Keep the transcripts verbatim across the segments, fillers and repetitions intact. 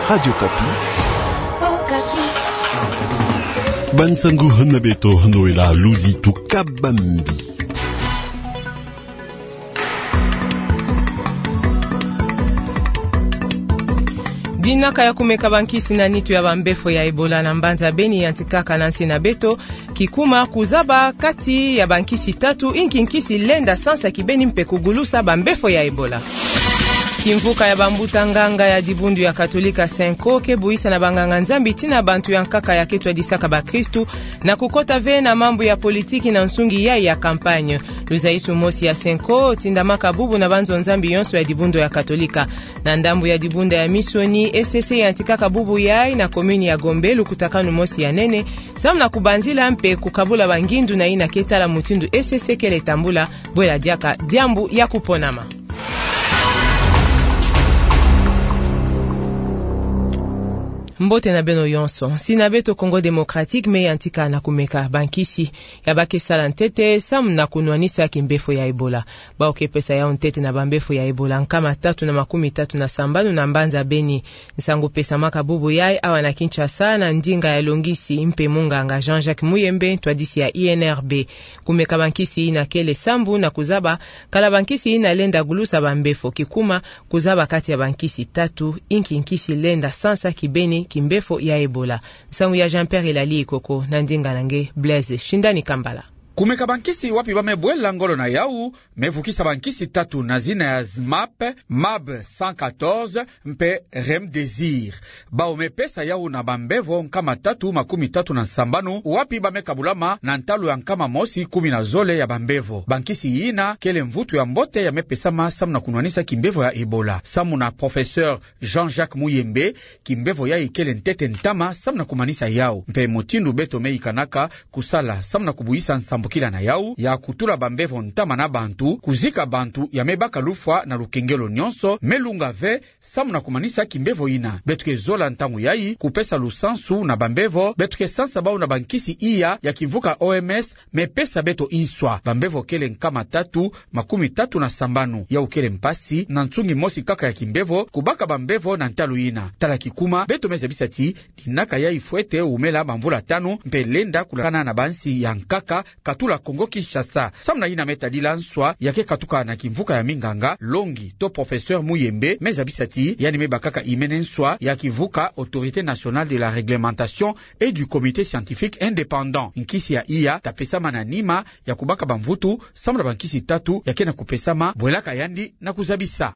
Radio Okapi. Bansangu hana beto hano ela luzi tuka bambi. Dinaka ya kumeka bankisi na nitu ya bambefo ya Ebola na mbanza Beni yantikaka na nsi na beto, kikuma kuzaba kati ya bankisi tatu, inki nkisi lenda sansa kibeni mpe kugulusa bambefo ya Ebola. Kimvuka ya bambuta nganga ya dibundu ya Katolika Cenco ke buisa na banganga-Nzambi tii na bantu ya nkaka ya ke twadisaka bakristu na kukota ve na mambu ya politiki na nsungi yai ya campagne. Luzaisu mosi ya Cenco tindamaka bubu na banzo-Nzambi yonso ya dibundu ya Katolika. Na ndambu ya dibundu ya misioni, E C C yantikaka bubu yai na commune ya Gombe lukutakanu mosi ya nene, samu na kubanzila mpe kukabula bangindu na yina ke tala mutindu E C C kele tambula, bwela diaka diambu ya kuponama. Mbote na beno yonso. Nsi na beto Congo Démocratique me yantika na kumeka bankisi ya ba ke sala ntete samu na kunwanisa kimbefo ya Ebola. Bawu ke pesa yawu ntete na bambefo ya Ebola nkama tatu na makumi tatu na sambanu na mbanza Beni. Nsangu pesamaka bubu yai awa na Kinshasa na ndinga ya longisi mpe munganga Jean-Jacques Muyembe, ntwadisi ya I N R B. Kumeka bankisi yina kele sambu na kuzaba kala bankisi yina lenda gulusa bambefo, kikuma kuzaba kati ya bankisi tatu, inki nkisi lenda sansa kibeni kimbefo ya Ebola. Nsangu ya Jean-Pierre Elali Ikoko na ndinga na nge Blaise Shindani Kambala. Kumeka bankisi wapi ba me bwela ngolo na yawu, me vukisa bankisi tatu na zina ya ZMapp, MAB cent quatorze, mpe Remdesivir. Bawu me pesa yawu na bambevo nkama tatu makumi tatu na sambanu, wapi ba me kabulama na ntalu ya nkama mosi kumi na zole ya bambevo. Bankisi yina kele mvutu ya mbote ya me pesama samu na kunwanisa kimbevo ya Ebola. Samu na professeur Jean-Jacques Muyembe, kimbevo yai kele ntete ntama samu na kumanisa yawu. Mpe mutindu beto me yikanaka kusala samu na kubuisa nsambukila na yawu, ya kutula bambevo ntama na bantu, kuzika bantu ya me baka lufwa na lukengelo nyonso, me lunga ve samu na kumanisa kimbevo yina. Beto ke zola ntangu yai kupesa lusansu na bambevo beto ke sansa bawu na bankisi iya ya kimvuka O M S me pesa beto inswa. Bambevo kele nkama tatu makumi tatu na sambanu. Yawu kele mpasi na nsungi mosi kaka ya kimbevo kubaka bambevo na ntalu yina. Tala kikuma, beto me zabisa ti dinaka yai fwete wumela bamvula tanu, mpe lenda kulakana na bansi ya nkaka, katula Congo Kinshasa. Samu na yina me tadila nswa ya ke katuka na kimvuka ya minganga, longi to professeur Muyembe me zabisa ti yandi me bakaka imene nswa ya kivuka Autorité nationale de la réglementation et du comité scientifique indépendant. Nkisi ya iya ta pesama na nima ya kubaka bamvutu samu na bankisi tatu ya ke na kupesama, bwelaka yandi na kuzabisa.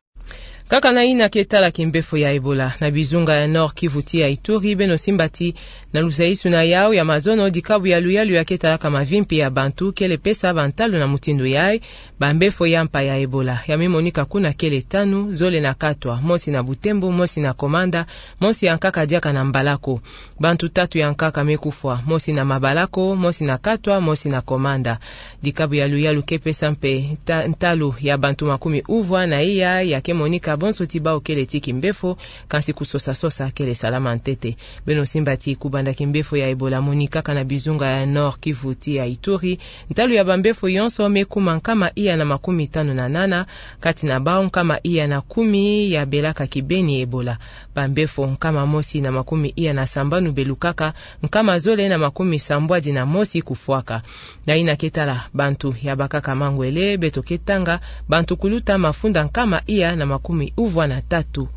Kaka na yina ke tala kimbefo ya Ebola, na bizunga ya Nord-Kivu tii ya Ituri, beno simba ti na luzaisu na yawu ya mazono, dikabu ya luyalu ya ke talaka mavimpi ya bantu kele pesa bantalu na mutindu yai, bambefo ya mpa ya Ebola ya me monika kuna kele tanu, zole na Katwa, mosi na Butembo, mosi na Komanda, mosi ya nkaka diaka na Mbalako. Bantu tatu ya nkaka me kufwa, mosi na Mabalako, mosi na Katwa, mosi na Komanda. Dikabu ya luyalu ke pesa mpe nta-, ntalu ya bantu makumi uvwa na iya ya ke monika bonso ti bawu kele ti kimbefo, kansi kusosa-sosa kele salama ntete. Beno simba ti kubanda kimbefo ya Ebola monikaka na bizunga ya Nord-Kivu tii ya Ituri, ntalu ya bambefo yonso me kuma nkama iya na makumi tanu na nana, kati na bawu nkama iya na kumi ya belaka kibeni Ebola. Bambefo nkama mosi na makumi iya na sambanu belukaka, nkama zole na makumi sambwadi na mosi kufwaka. Na yina ke tala bantu ya bakaka mangwele, beto ke tanga bantu kuluta mafunda nkama iya na makumi uvwa na tatu.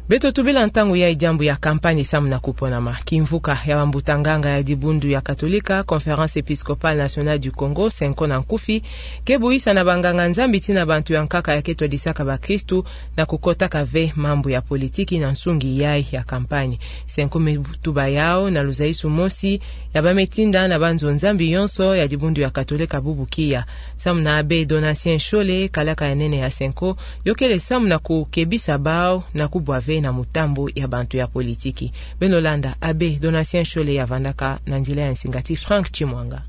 Beto tubila ntangu yai diambu ya campagne samu na kuponama. Kimvuka ya bambuta nganga ya dibundu ya Katolika, Conférence Épiscopale Nationale du Congo, Cenco na nkufi, ke buisa na banganga-Nzambi tii na bantu ya nkaka ya ke twadisaka bakristu na kukotaka ve mambu ya politiki na nsungi yai ya campagne. Cenco me tuba yawu na luzaisu mosi ya ba me tinda na banzo-Nzambi yonso ya dibundu ya Katolika bubu kia. Samu na Abbé Donatien Nshole, kalaka ya nene ya Cenco, yo kele samu na kukebisa bawu na kubwa ve na mutambu ya bantu ya politiki. Beno landa Abbé Donatien Nshole ya vandaka na nzila ya nsinga ti Franck Tshimwanga.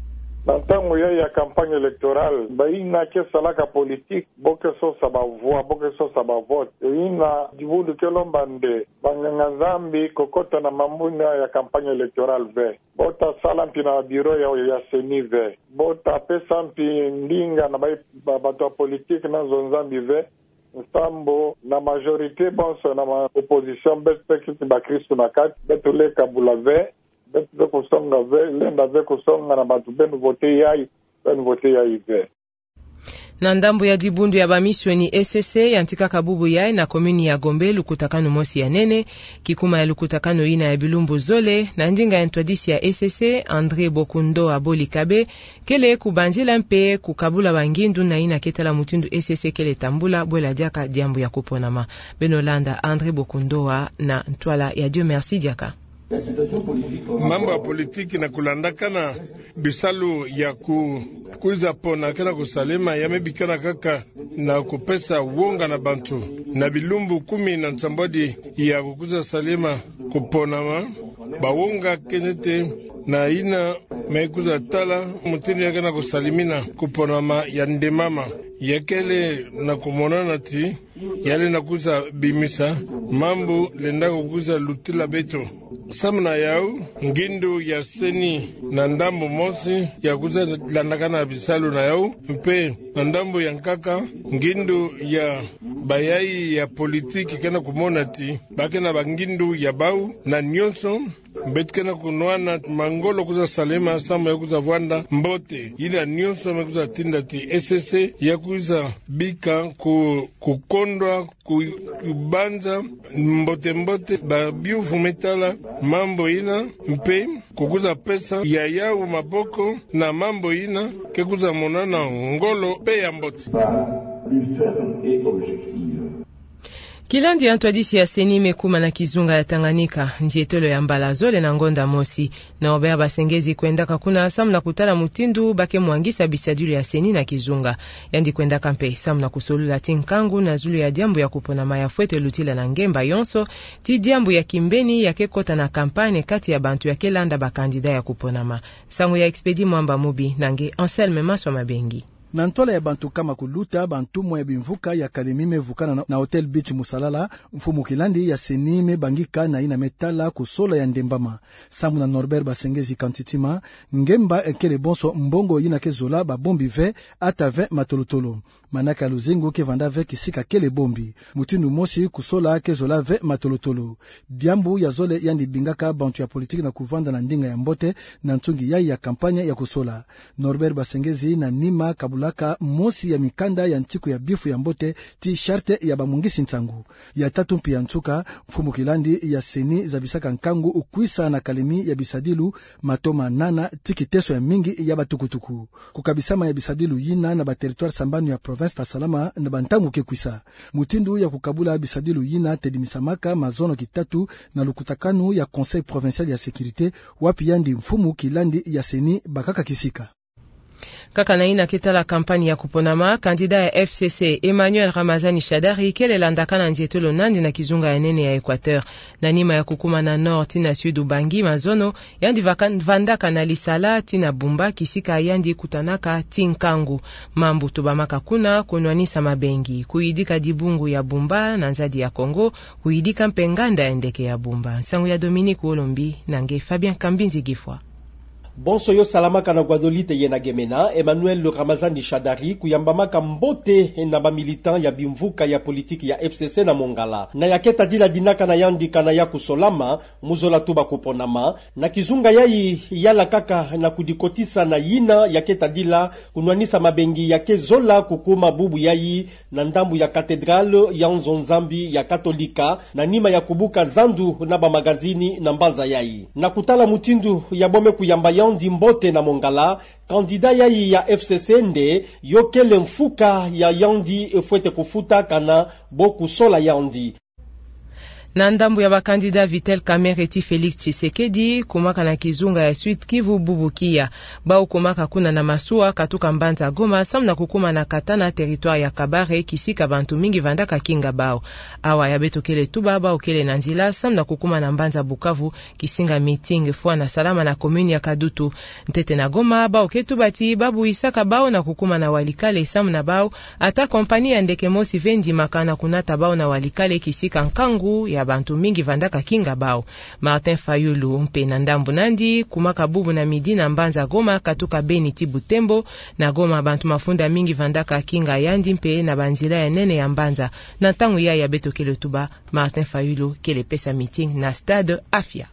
Na ntangu yai ya campagne électorale, bayina ke salaka politique bo ke sosa ba voix, bo ke sosa ba vote. Eyina dibundu ke lomba nde banganga-Nzambi kokota na mambu yina ya campagne électorale ve. Bo ta sala mpi na bureau ya, ya CENI ve. Bo ta pesa mpi ndinga na ba, ba, bantu ya politique na nzo-Nzambi ve. nsambu na majorité bonso na ma opposition, beto pe kiti bakristu na kati, beto le kabula ve, beto le kusonga ve, lenda ve kusonga na bantu beno vote yayi, beno vote yayi ve. Na ndambu ya dibundu ya bamisioni E C C yantikaka bubu yayi na commune ya Gombe lukutakanu mosi ya nene, kikuma ya lukutakanu yina ya bilumbu zole, na ndinga ya ntwadisi ya E C C, André Bokundoa Bolikabe, kele kubanzila mpe kukabula bangindu na yina ke tala mutindu E C C kele tambula bwela diaka diambu ya kuponama. Beno landa André Bokundoa na ntwala ya Dieu Merci Diaka. Mambu ya politiki na kulandakana bisalu ya ku-, kwiza pona ke na kusalema, ya me bikana kaka na kupesa wonga na bantu. Na bilumbu kumi na nsambwadi ya kukwiza salema kuponama, bawonga kenete na yina me kwiza tala mutindu ya ke na kusalemina kuponama ya ndembama. Ya kele na kumonana ti yale na kwiza bimisa mambu lenda kukwiza lutila beto. Samu na yau, ngindu ya CENI na ndambu mosi ya kwiza landakana bisalu na yau, mpe na ndambu ya nkaka, ngindu ya bayayi ya politiki ke na kumona ti ba ke na bangindu ya bau, na nionso beto ke na kunwana mangolo kwiza salema samu ya kwiza vwanda mbote. Yina nionso me kwiza tinda ti E C C ya kwiza bika ku-, kukondwa, kubanza mbote-mbote babiuvu me tala mambu yina, mpe kukwiza pesa ya yau maboko na mambu yina ke kwiza monana ngolo mpe ya mbote. Kilandi ya ntwadisi ya CENI me kuma na kizunga ya Tanganyika, nzietolo ya mbala zole na ngonda mosi. Norbert Basengezi kwendaka kuna samu na kutala mutindu ba ke mwangisa bisadilu ya CENI na kizunga. Yandi kwendaka mpe samu na kusolula ti nkangu na zulu ya diambu ya kuponama ya fwete lutila na ngemba yonso, ti diambu ya kimbeni ya ke kota na campagne kati ya bantu ya ke landa bakandida ya kuponama. Nsangu ya Expedit Mwamba Mubi na nge Anselme Maswa Mabengi. Na ntwala ya bantu kama kuluta, bantumwa ya bimvuka ya kalemi me vukana na, na Hotel Beach Musalala, mfumu kilandi ya CENI me bangika na yina me tala kusola ya ndembama. Samu na Norbert Basengezi Kantitima, ngemba kele bonso mbongo yina ke zola babombi ve, ata ve matolotolo. Manaka ya luzingu ke vanda ve kisika kele bombi. Mutindu mosi kusola ke zola ve matolotolo. Diambu ya zole yandi bingaka bantu ya politiki na kuvanda na ndinga ya mbote na nsungi yayi ya campagne ya kusola. Norbert Basengezi na nima kabulaka mosi ya mikanda ya ntiku ya bifu ya mbote ti charte ya bamwangisi nsangu. Ya tatu mpe ya nsuka, mfumu kilandi ya CENI zabisaka nkangu kwisa na kalemi ya bisadilu matoma nana ti kiteso ya mingi ya batukutuku. Kukabisama ya bisadilu yina na bateritware sambanu ya province ta salama na bantangu ke kwisa. Mutindu ya kukabula bisadilu yina tedimisamaka mazono kitatu na lukutakanu ya Conseil provincial ya sécurité, wapi yandi mfumu kilandi ya CENI bakaka kisika. Kaka na yina ke tala campagne ya kuponama, candidat ya F C C, Emmanuel Ramazani Shadary, kele landakana nzietolo nandi na kizunga ya nene ya Équateur. Na nima ya kukuma na nord tii na sud Ubangi mazono, yandi vaka-, vandaka na Lisala tii na Bumba, kisika yandi kutanaka ti nkangu. Mambu tubamaka kuna: kunwanisa mabengi, kuyidika dibungu ya Bumba na nzadi ya Congo, kuyidika mpe nganda ya ndeke ya Bumba. Nsangu ya Dominique Olombi na nge Fabien Kambinzi Gifwa. Bonso yo salamaka na Guadolite ye na Gemena, Emmanuel Ramazani Shadary kuyambamaka mbote na bamilitant ya bimvuka ya politiki ya F C C na Mongala. Na ya ke tadila dinaka na yandi kana ya kusolama, mu zola tuba kuponama, na kizunga yayi yala kaka na kudikotisa na yina ya ke tadila kunwanisa mabengi ya ke zola kukuma bubu yayi na ndambu ya Cathédrale ya Nzo Nzambi ya Katolika, na nima ya kubuka zandu na bamagazini na mbanza yayi. Na kutala mutindu yabo me kuyamba yandi mbote na Mongala, candidat yayi ya F C C nde yo kele mfuka ya yandi fwete kufuta kana bo kusola yandi. Na ndambu ya bakandida, Vital Kamerhe tii Félix Tshisekedi kumaka na kizunga ya Sud-Kivu bubu kia. Bau kumaka kuna na masuwa katuka mbanza Goma samu na kukuma na Katana, territoire ya Kabare, kisika bantu mingi vandaka kinga bau. Awa ya beto kele tuba, bau kele na nzila samu na kukuma na mbanza Bukavu, kisinga meeting fwana salama na commune ya Kadutu. Ntete na Goma, bau ke tuba ti ba buisaka bau na kukuma na Walikale samu na bau ata compagnie ya ndeke mosi ve ndimaka na kunata bau na Walikale, kisika nkangu ya bantu mingi vandaka kinga bau. Martin Fayulu mpe na ndambu nandi kumaka bubu na midi na mbanza Goma katuka Beni ti Butembo. Na Goma bantu mafunda mingi vandaka kinga yandi mpe na banzila ya nene ya mbanza. Na ntangu yai ya beto kele tuba, Martin Fayulu kele pesa meeting na stade Afia.